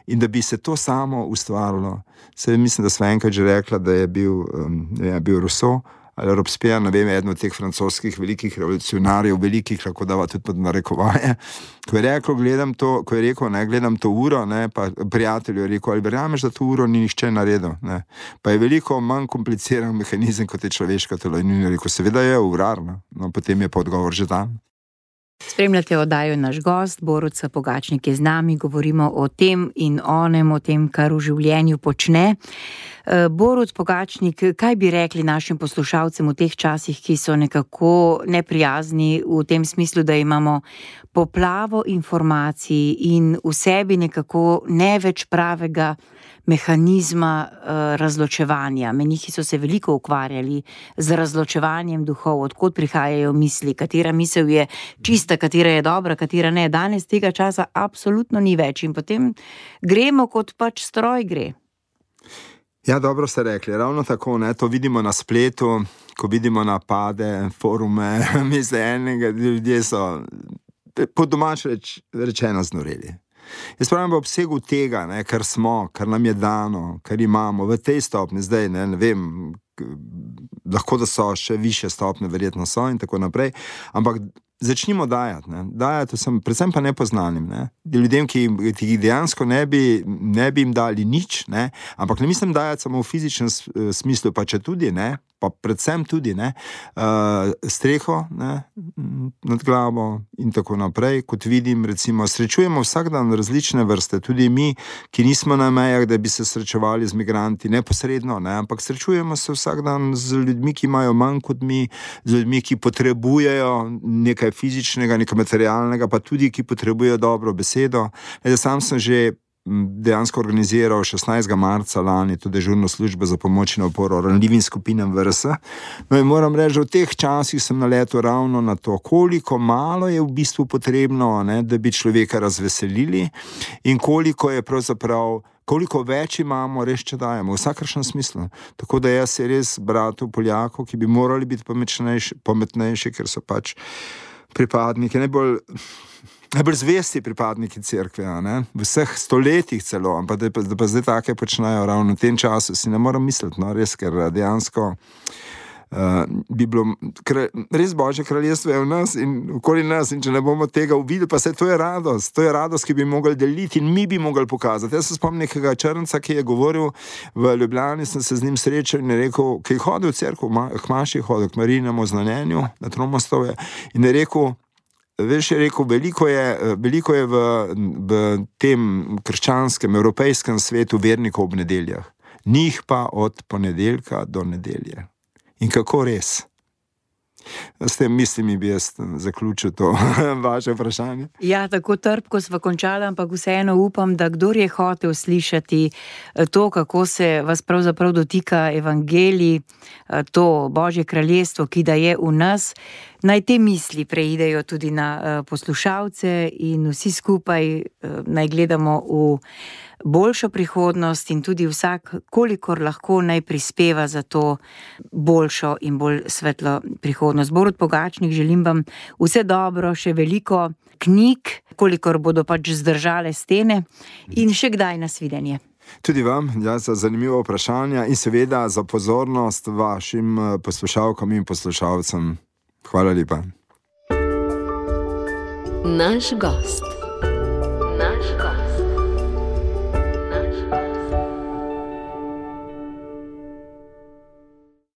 in da bi se to samo ustvarilo. Mislim, da sva enkrat že rekla, da je bil Rousseau ali Robespierre, ne vem, eden od teh francoskih velikih revolucionarjev, velikih, lahko dava tudi pod narekovaje, ko je rekel, gledam to uro, pa prijatelju je rekel, ali verjameš, da to uro ni nihče naredil, pa je veliko manj kompliciran mehanizem, kot je človeško telo, in je rekel, seveda je urar, no, potem je pa odgovor že tam. Spremljate oddajo Naš gost, Borut Sapogačnik je z nami, govorimo o tem in onem, o tem, kar v življenju počne. Borut Pogačnik, kaj bi rekli našim poslušalcem v teh časih, ki so nekako neprijazni v tem smislu, da imamo poplavo informacij in v sebi nekako ne več pravega mehanizma razločevanja. Menihi so se veliko ukvarjali z razločevanjem duhov, odkot prihajajo misli, katera misel je čista, katera je dobra, katera ne. Danes tega časa absolutno ni več in potem gremo, kot pač stroj gre. Ja, dobro ste rekli, ravno tako, to vidimo na spletu, ko vidimo napade, forume, ljudje so po domač rečeno znoreli. Jaz pravim v obsegu tega, kar smo, kar nam je dano, kar imamo v tej stopni zdaj, ne vem, lahko da so še više stopne, verjetno so in tako naprej, ampak začnimo dajati, ne. Dajati vsem, predvsem pa nepoznanim, ne. Ljudem, ki jih dejansko ne bi jim dali nič, ne. Ampak ne mislim dajati samo v fizičnem smislu, pa če tudi, ne, pa predvsem tudi, ne, streho, ne, nad glavo in tako naprej. Kot vidim, recimo, srečujemo vsak dan različne vrste, tudi mi, ki nismo na mejah, da bi se srečevali z migranti neposredno, ne, ampak srečujemo se vsak dan z ljudmi, ki imajo manj kot mi, z ljudmi, ki potrebujejo nekaj fizičnega, nekaj materialnega, pa tudi, ki potrebujejo dobro besedo. Sam sem že dejansko organiziral 16. marca lani to dežurno službo za pomoč in oporo ranljivim skupinam VRS. No in moram reči, v teh časih sem naletel ravno na to, koliko malo je v bistvu potrebno, ne, da bi človeka razveselili in koliko je pravzaprav, koliko več imamo, res če dajemo, v vsakršnem smislu. Tako da jaz je res bratu Poljakov, ki bi morali biti pametnejši, ker so pač pripadniki, najbolj zvesti pripadniki cerkve, ne? V vseh stoletjih celo, ampak da pa zdaj take počnejo ravno v tem času, si ne moram misliti, no, res, ker dejansko bi bilo, res Božje kraljestvo je v nas in okoli nas, in če ne bomo tega uvideli, pa se to je radost, ki bi mogli deliti in mi bi mogli pokazati. Jaz se spomnim nekega Črnca, ki je govoril v Ljubljani, sem se z njim srečal in je rekel, ki je hodil v cerkev, k maši je hodil, k Marijinemu znanjenju na Tromostovje, in je rekel, veš, je rekel, veliko je v tem krščanskem, evropejskem svetu vernikov ob nedeljah. Njih pa od ponedeljka do nedelje. In kako res? S tem mislimi bi jaz zaključil to vaše vprašanje. Ja, tako trpko sva končala, ampak vseeno upam, da kdor je hotel slišati to, kako se vas pravzaprav dotika evangelij, to Božje kraljestvo, ki da je v nas, naj te misli preidejo tudi na poslušalce in vsi skupaj naj gledamo v boljšo prihodnost in tudi vsak, kolikor lahko, naj prispeva za to boljšo in bolj svetlo prihodnost. Borut Pogačnik, želim vam vse dobro, še veliko knjig, kolikor bodo pač zdržale stene in še kdaj nasvidenje. Tudi vam, ja, za zanimivo vprašanje in seveda za pozornost vašim poslušalkam in poslušalcem. Hvala lepa. Naš gost.